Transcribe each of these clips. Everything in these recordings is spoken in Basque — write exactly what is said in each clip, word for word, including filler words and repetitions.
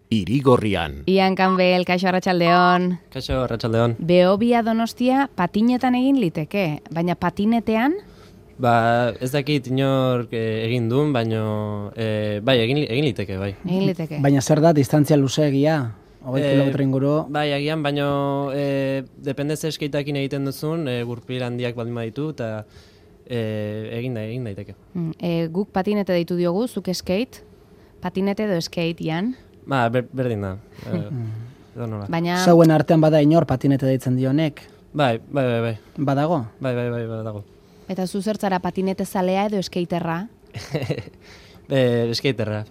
Irigorrian. Ian Campbell, kaixo arratsaldeon. Kaixo arratsaldeon. Behobia Donostia patinetan egin liteke, baina patinetean? Ba, ez dakit inork egin duen, baina e, bai, egin, egin liteke, bai. Egin liteke. Baina zer da, distantzia luzeegia? hogei E, kilometro inguru? Bai, agian, baina e, depende ze skateakin egiten duzun, e, gurpil handiak baldin baditu, eta e, egin, da, egin daiteke. Mm, e, guk patinete deitu diogu, zuk skate, patinete edo skate, Ian? Ba, ber, berdin da. E, edo nola. Baina... Zauen artean bada inor patinete deitzen dionek? Bai, bai, bai, bai. Badago? Bai, bai, bai, badago. Eta zu zertzara patinete zalea edo skaterra? e, skaterra.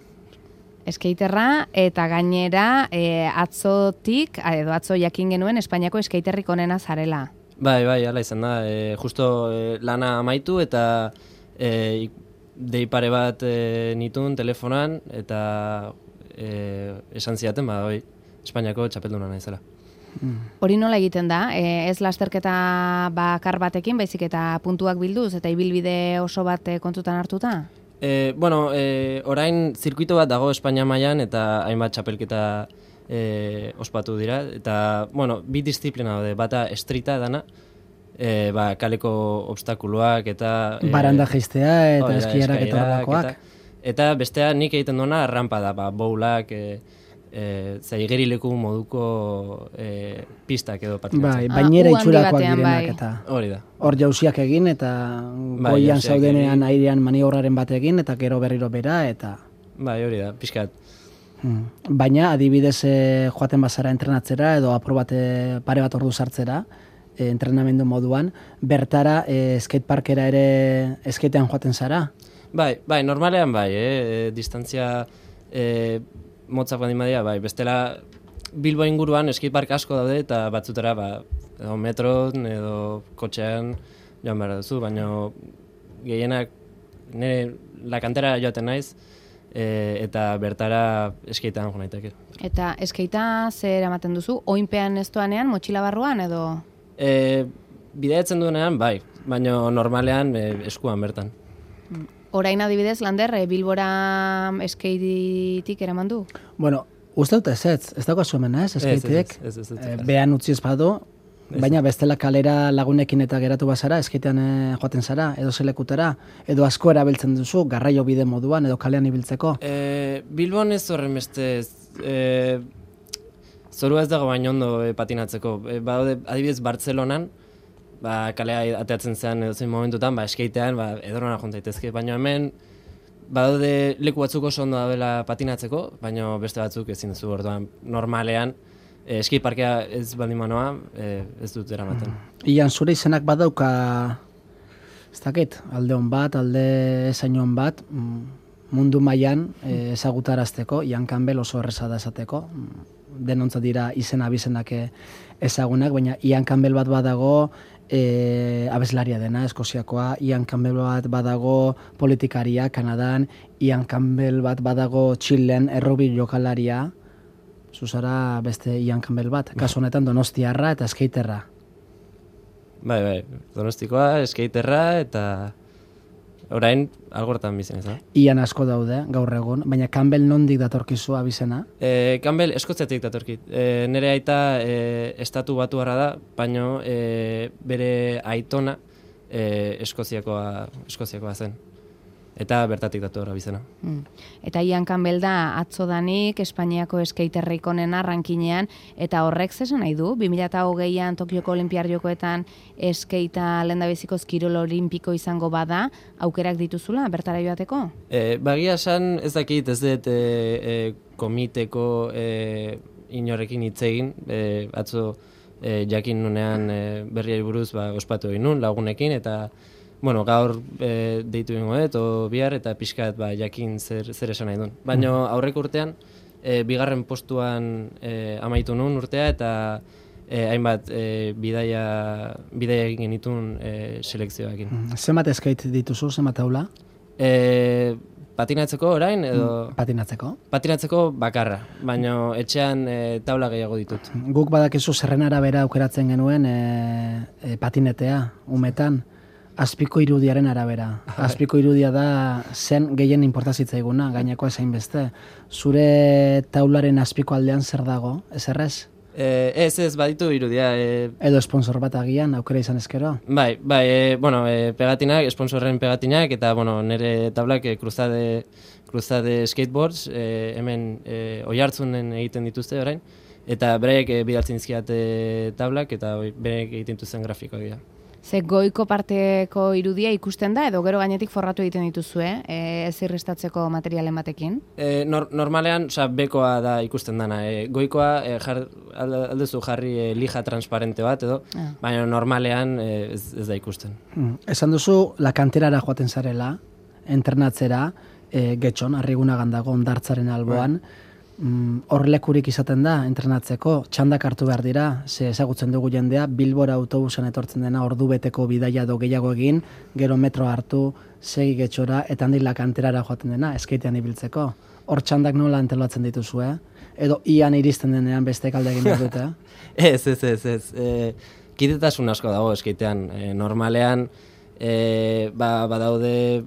Skaterra, eta gainera e, atzotik, edo atzo jakin genuen, Espainiako skaterrik onena zarela. Bai, bai, hala izan da. E, justo e, lana amaitu eta e, dei pare bat e, nitun telefonan eta e, esan ziaten, ba, oi, Espainiako txapelduna naizela. Hori nola egiten da? E, ez lasterketa bakar batekin, baizik eta puntuak bilduz, eta ibilbide oso bat e, kontutan hartuta? E, bueno, e, orain zirkuito bat dago Espainia mailan eta hainbat txapelketa e, ospatu dira. Eta, bueno, bi disiplina daude, bata streeta dana, e, ba, kaleko obstakuloak eta... E, Baranda jaistea eta hori da, eskiarak eta eskailerak horrelakoak. Eta, eta bestea nik egiten duena rampa da, ba, bowlak, e, e, zai igerileku moduko e, pistak edo patinatzen. Bai, bainera Ah, itxurakoak u handi batean, direnak bai. eta... Hori da. Hor jauziak egin eta Bai, goian jauziak zaudenean egin. airean maniobraren bat egin eta gero berriro bera eta... Bai, hori da, pixkat. Hmm. Baina adibidez eh, joaten bazara entrenatzera edo apur bat eh, pare bat ordu sartzera, eh, entrenamendu moduan, bertara eh, skateparkera ere skatean joaten zara? Bai, bai, normalean bai, eh? E, distantzia e, motzak baldin badia, bai, bestela Bilbo inguruan skatepark asko daude eta batzutera, ba, edo metron edo kotxean joan behar duzu, baina gehienak nire lakantera joaten naiz e, eta bertara skatean jo naiteke. Eta skatea zer eramaten duzu? Oinpean ez doanean, motxila barruan edo? E, bideatzen duenean, bai, baina normalean e, eskuan bertan. Orain adibidez, Lander, e, Bilbora skatetik eraman du? Bueno, uste dut ez ez, ez dago hemen ez, skateek, Ez, ez, ez, ez, ez, ez. behan utzi ez badu, baina bestela kalera lagunekin eta geratu bazara, skatean eh, joaten zara, edo zelekutera, edo asko erabiltzen duzu, garraio bide moduan, edo kalean ibiltzeko. E, Bilbon ez horren beste, e, zorua ez dago baino ondo e, patinatzeko. E, badaude, adibidez, Bartzelonan, ba, kalea ateatzen zean edo zein momentutan, ba, skatean, ba, edorona jontaitezke, baina hemen, badaude leku batzuk oso ondo dabela patinatzeko, baina beste batzuk ezin duzu orduan normalean, e, skateparkea ez baldin manoa, e, ez dut eramaten. Ian, zure izenak badauka, ez dakit, alde hon bat, alde ezain hon bat, mm, mundu mailan eh, ezagutarazteko, Ian Campbell oso erreza da esateko, mm, denontzat dira izena abizenak eh, ezagunak, baina Ian Campbell bat badago e, abeslaria dena, Eskoziakoa, Ian Campbell bat badago politikaria, Kanadan, Ian Campbell bat badago Txilen, errobi jokalaria, zuzara beste Ian Campbell bat, kasu honetan donostiarra eta skaterra. Bai, bai, donostikoa, skaterra eta orain algortan bizen ez da. Ian asko daude, gaur egun, baina Campbell nondik datorkizu abizena? E, Campbell Eskoziatik datorkit. E, nere aita e, estatu batuarra da, baina e, bere aitona e, Eskoziakoa, Eskoziakoa zen. Eta bertatik dator abizena. Mm. Eta Ian Campbell da atzodanik Espainiako skaterrik onena rankinean, eta horrek zesan nahi du? bi mila hogeian Tokioko Olinpiar Jokoetan skatea lehendabizikoz kirol olimpiko izango bada, aukerak dituzula bertara joateko? E, bagia esan ez dakit ez dut e, e, komiteko e, inorekin hitz egin, e, atzo e, jakin nunean e, berriari buruz ba, ospatu egin nun lagunekin, eta bueno, gaur e, deitu ingo dut, o bihar, eta pixkat ba, jakin zer, zer esan nahi duen. Baina aurreko urtean, e, bigarren postuan e, amaitu nun urtea, eta e, hainbat e, bidaia, bidaia egin genitun e, selekzioakin. Zenbat skate dituzu, zenbat taula? E, patinatzeko orain, edo... Patinatzeko? Patinatzeko bakarra, baina etxean e, taula gehiago ditut. Guk badakizu zerren arabera aukeratzen genuen e, e, patinetea, umetan. azpiko irudiaren arabera. Azpiko irudia da zen gehien importazitzaiguna, gaineko ezain beste. Zure taularen azpiko aldean zer dago, ez errez? Eh, ez, ez, baditu irudia. Eh, Edo sponsor bat agian, aukera izan ezkero? Bai, bai, eh, bueno, eh, pegatinak, sponsorren pegatinak, eta, bueno, nire tablak eh, cruzade, cruzade skateboards, eh, hemen eh, oihartzunen egiten dituzte orain, eta beraiek eh, bidaltzen dizkiate tablak, eta oi, beraiek egiten dituzten grafikoak dira. Ze goiko parteko irudia ikusten da, edo gero gainetik forratu egiten dituzue, eh? ez irristatzeko materialen batekin? E, nor, normalean, oza, bekoa da ikusten dana. E, goikoa e, jar, aldezu jarri e, lija transparente bat, edo, ah. baina normalean e, ez, ez da ikusten. Hmm. Esan duzu, la kanterara joaten zarela, entrenatzera, e, getxon, Arrigunagan dago, ondartzaren alboan, hor mm, lekurik izaten da, entrenatzeko, txandak hartu behar dira, ze ezagutzen dugu jendea, Bilbora autobusan etortzen dena ordu beteko bidaia do gehiago egin, gero metro hartu, segi getxora, eta handik la kanterara joaten dena, eskeitean ibiltzeko. Hor txandak nola antolatzen dituzu, eh? Edo ian iristen denean beste kalde egin behar dute, eh? ez, ez, ez, ez. E, kidetasun asko dago eskeitean. E, normalean, e, ba, badaude,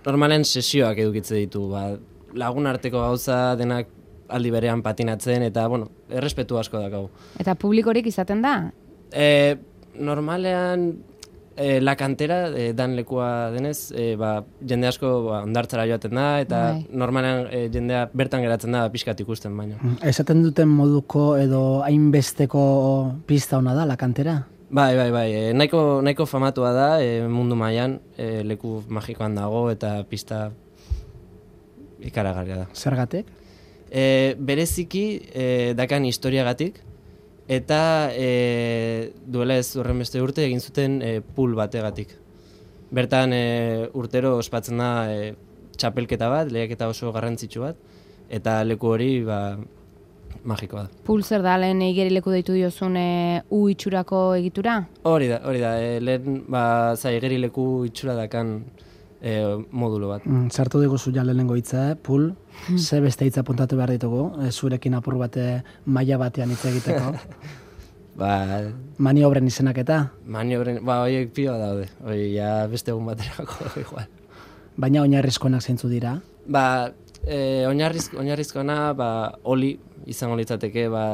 normalean sesioak edukitze ditu, ba, lagun arteko gauza denak aldi berean patinatzen, eta, bueno, errespetu asko dakau. Eta publikorik izaten da? E, normalean, e, la kantera, e, dan lekua denez, e, ba, jende asko ba, ondartzara joaten da, eta Bai. normalean e, jendea bertan geratzen da pixkat ikusten baino. Esaten duten moduko edo hainbesteko pista ona da, la kantera? Bai, bai, bai. E, nahiko, nahiko famatua da, e, mundu mailan, e, leku magikoan dago, eta pista ikaragarria da. Zergatik? E, bereziki e, dakan historiagatik, eta e, duela ez horren beste urte egin zuten e, pool bategatik. Bertan e, urtero ospatzen da e, txapelketa bat, lehiaketa oso garrantzitsu bat, eta leku hori ba, magikoa da. Pool zer da, lehen igerileku deitu diozun e, u itxurako egitura? Hori da, hori da. E, lehen ba, za igerileku itxura dakan E, modulo bat. Mm, Zartu diguzu ja lehenengo hitza, pool, ze beste hitza puntatu behar ditugu, e, zurekin apur bate maila batean hitz egiteko. ba, Maniobren izenak eta? Maniobren, ba, horiek pioa daude, hori ja beste egun baterako igual. Baina oinarrizkoenak zeintzu dira? Ba, e, oinarriz, oinarrizkoena, ba, oli izango litzateke, ba,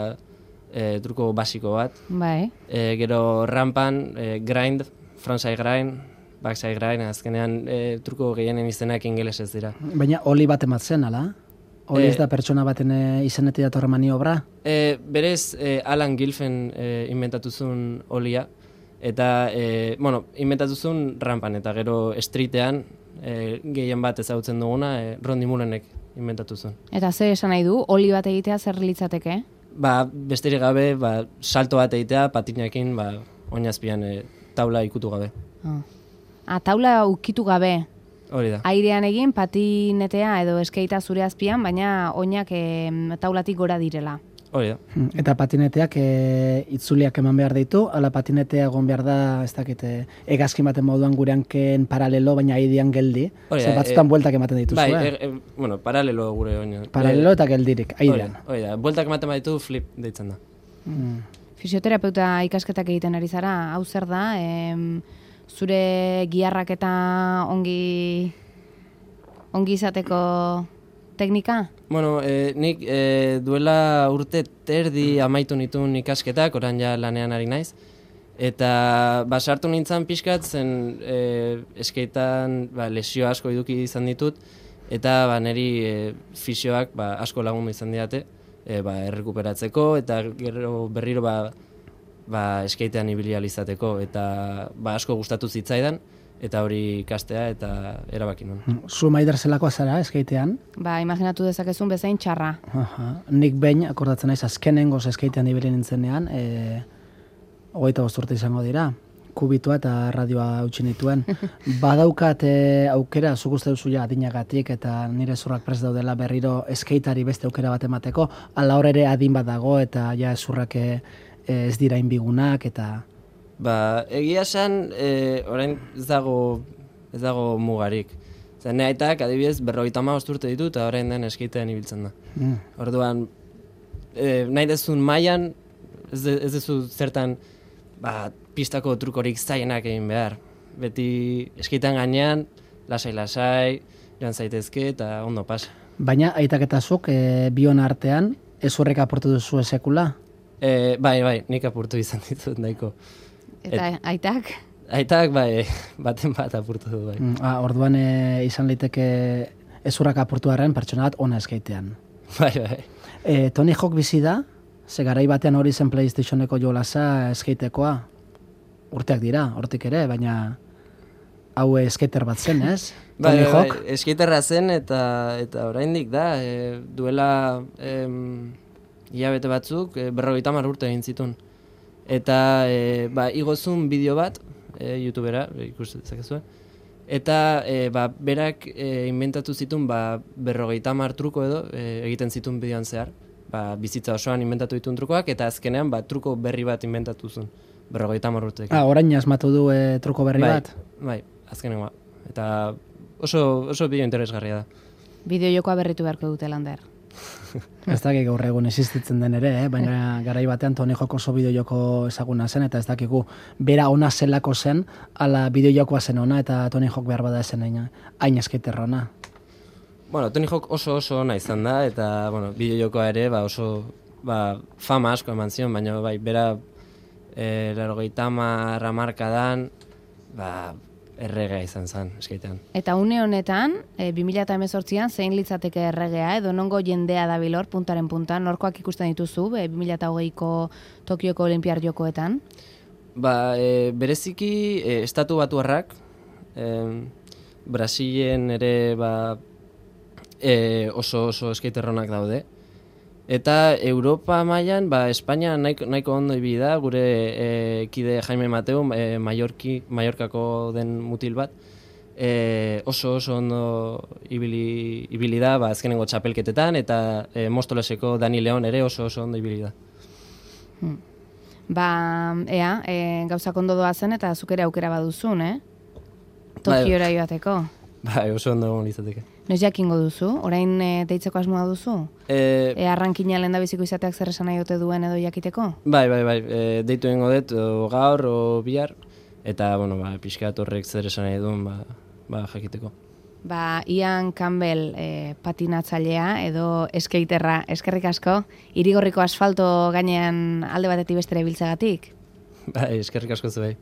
e, truko basiko bat. Bai. E, gero rampan, e, grind, frontside grind, backside grind, azkenean e, truko gehienen izenak ingelesez dira. Baina oli bat ematzen, ala? Oli ez E, da pertsona baten e, izenetik datorre maniobra? E, berez, e, Alan Gilfen e, inventatuzun olia, eta, e, bueno, inventatuzun rampan, eta gero streetean, e, gehien bat ezagutzen duguna, e, Rondi Mullenek inventatuzun. Eta zer esan nahi du, oli bat egitea zer litzateke? Ba, besterik gabe, ba, salto bat egitea, patinakin, ba, oinazpian e, taula ikutu gabe. Oh. A, taula ukitu gabe. Hori da. Airean egin, patinetea edo eskeita zure azpian, baina oinak e, taulatik gora direla. Hori da. Eta patineteak e, itzuliak eman behar ditu, ala patinetea egon behar da, ez dakite, egazkin baten moduan gure hanken paralelo, baina aidean geldi. Hori da. Zer batzutan e, bueltak ematen dituzu, bai, eh? e, e, bueno, paralelo gure oina. Paralelo eta geldirik, aidean. Hori da, bueltak ematen baditu flip deitzen da. Mm. Fisioterapeuta ikasketak egiten ari zara, hau zer da, em, zure giharrak eta ongi ongi izateko teknika? Bueno, e, nik e, duela urte terdi amaitu nituen ikasketak, orain ja lanean ari naiz, eta ba, sartu nintzen pixkat, zen e, eskeitan ba, lesio asko eduki izan ditut, eta ba, niri e, fisioak ba, asko lagundu izan diate, e, ba, errekuperatzeko, eta gero berriro ba, ba, eskeitean ibili ahal izateko, eta ba, asko gustatu zitzaidan, eta hori ikastea eta erabaki nuen. Zu Maider zelakoa zara eskeitean? Ba, imaginatu dezakezun bezain txarra. Aha. Nik behin, akordatzen naiz, azkenengoz eskeitean ibili nintzenean, e, hogeita bost urte izango dira, kubitua eta radioa utzi nituen. Badaukat e, aukera, zuk uste duzu ja adinagatik eta nire zurrak prest daudela berriro eskeitari beste aukera bat emateko, ala hor ere adin bat dago eta ja zurrak e, ez dira inbigunak eta... Ba, egia esan, e, orain ez dago, ez dago mugarik. Zer, ne aitak, adibidez, berrogeita hamabost urte ditu eta orain den eskeitean ibiltzen da. Mm. Orduan, e, nahi dezun mailan, ez, de, ez dezu zertan ba, pistako trukorik zailenak egin behar. beti eskeitan gainean, lasai-lasai, joan zaitezke eta ondo pasa. Baina, aitak eta zuk, e, bion artean, ez horrek aportu duzu esekula? E, bai, bai, nik apurtu izan ditut nahiko. Eta Et, aitak? Aitak, bai, baten bat apurtu du, bai. Mm, ah, orduan e, izan liteke ez horrek apurtu arren pertsona bat ona eskeitean. Bai, bai. E, Tony Hawk bizi da, ze garai batean hori zen PlayStationeko jolasa eskeitekoa. Urteak dira, hortik ere, baina hau skater bat zen, ez? Bai, Tony bai, Hawk? bai, skaterra zen eta eta oraindik da, e, duela em, hilabete batzuk, e, berrogeita hamar urte egin zituen. Eta e, ba, igozun bideo bat, e, YouTubera, e, ikusten dezakezue. Eta e, ba, berak e, inventatu zituen ba, berrogeita hamar truko edo e, egiten zituen bideoan zehar. Ba, bizitza osoan inventatu dituen trukoak, eta azkenean ba, truko berri bat inventatu zuen. Berrogeita hamar urteekin. Ah, orain asmatu du e, truko berri bai, bat? Bai, azkenengoa. Eta oso, oso bideo interesgarria da. Bideo jokoa berritu beharko dute, Lander. Ez dakik gaur egun existitzen den ere, eh? Baina garai batean Tony Hawk oso bideojoko ezaguna zen, eta ez dakigu bera ona zelako zen, ala bideojokoa zen ona, eta Tony Hawk behar bada zen hain, hain eskaiterra ona. Bueno, Tony Hawk oso oso ona izan da, eta bueno, bideojokoa ere ba, oso ba, fama asko eman zion, baina bai, bera e, laurogeita hamar hamarkadan ba, erregea izan zen eskaitean. Eta une honetan, e, bi mila hemezortzian zein litzateke erregea, edo nongo jendea dabilor puntaren punta, norkoak ikusten dituzu, e, bi mila hogeiko Tokioko Olinpiar Jokoetan? Ba, e, bereziki e, estatu batuarrak, e, Brasilen ere ba, e, oso oso skaterronak daude. Eta Europa mailan, ba, Espainia nahiko, nahiko ondo ibili da, gure e, kide Jaime Mateu, e, Mallorki, Mallorcako den mutil bat, e, oso oso ondo ibili, ibili da, ba, azkenengo txapelketetan, eta e, Mostoleseko Dani Leon ere oso oso ondo ibili da. Hmm. Ba, ea, e, gauzak ondo doa zen, eta zuk ere aukera baduzun, eh? Tokiora joateko. Bai, oso ondo egon litzateke. Noiz jakingo duzu? Orain e, deitzeko asmoa duzu? E, e arrankina lehendabiziko izateak zer esan nahi ote duen edo jakiteko? Bai, bai, bai, e, deitu egingo dut o gaur o bihar, eta, bueno, ba, pixkat horrek zer esan nahi duen, ba, ba, jakiteko. Ba, Ian Campbell e, patinatzailea edo skaterra, eskerrik asko, Irigorriko asfalto gainean alde batetik bestera ibiltzagatik? Bai, eskerrik asko zuei.